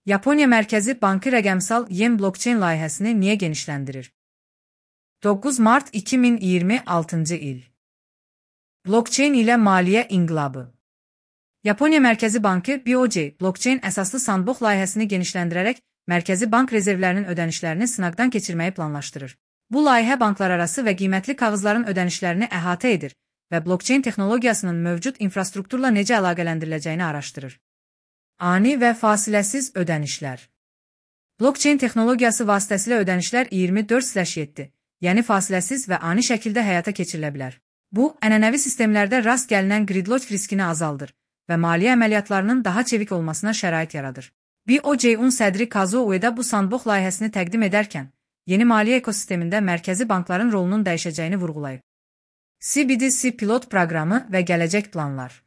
Yaponiya Mərkəzi Bankı rəqəmsal yen blockchain layihəsini niyə genişləndirir? 9 mart 2026 il. Blockchain ilə maliyyə inqilabı. Yaponiya Mərkəzi Bankı BOJ blockchain əsaslı sandbox layihəsini genişləndirərək Mərkəzi Bank rezervlərinin ödənişlərini sınaqdan keçirməyi planlaşdırır. Bu layihə banklararası və qiymətli kağızların ödənişlərini əhatə edir və blockchain texnologiyasının mövcud infrastrukturla necə əlaqələndiriləcəyini araşdırır. Ani və fasiləsiz ödənişlər. Blockchain texnologiyası vasitəsilə ödənişlər 24/7, yəni fasiləsiz və ani şəkildə həyata keçirilə bilər. Bu, ənənəvi sistemlərdə rast gəlinən gridlock riskini azaldır və maliyyə əməliyyatlarının daha çevik olmasına şərait yaradır. BOJ-un sədri Kazuo Ueda bu sandbox layihəsini təqdim edərkən, yeni maliyyə ekosistemində mərkəzi bankların rolunun dəyişəcəyini vurğulayıb. CBDC pilot proqramı və gələcək planlar.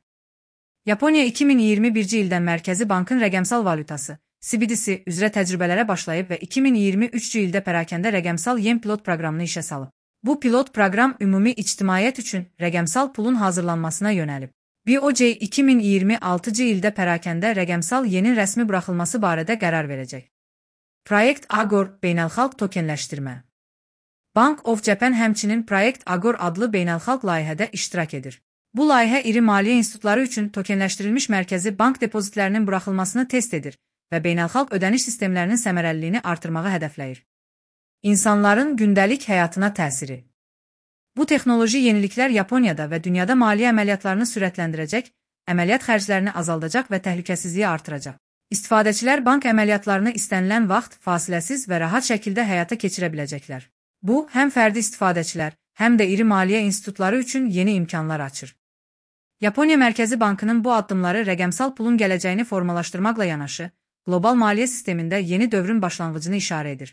Yaponiya 2021-ci ildən Mərkəzi Bankın rəqəmsal valyutası, CBDC üzrə təcrübələrə başlayıb və 2023-cü ildə pərakəndə rəqəmsal yen pilot proqramını işə salıb. Bu pilot proqram ümumi ictimaiyyət üçün rəqəmsal pulun hazırlanmasına yönəlib. BOJ 2026-cı ildə pərakəndə rəqəmsal yenin rəsmi buraxılması barədə qərar verəcək. Project Agor beynəlxalq tokenləşdirmə. Bank of Japan həmçinin Project Agor adlı beynəlxalq layihədə iştirak edir. Bu layihə iri maliyyə institutları üçün tokenləşdirilmiş mərkəzi bank depozitlərinin buraxılmasını test edir və beynəlxalq ödəniş sistemlərinin səmərəliliyini artırmağı hədəfləyir. İnsanların gündəlik həyatına təsiri. Bu texnoloji yeniliklər Yaponiyada və dünyada maliyyə əməliyyatlarını sürətləndirəcək, əməliyyat xərclərini azaldacaq və təhlükəsizliyi artıracaq. İstifadəçilər bank əməliyyatlarını istənilən vaxt, fasiləsiz və rahat şəkildə həyata keçirə biləcəklər. Bu, həm fərdi istifadəçilər, həm də iri maliyyə institutları üçün yeni imkanlar açır. Yaponiya Mərkəzi Bankının bu addımları rəqəmsal pulun gələcəyini formalaşdırmaqla yanaşı, qlobal maliyyə sistemində yeni dövrün başlanğıcını işarə edir.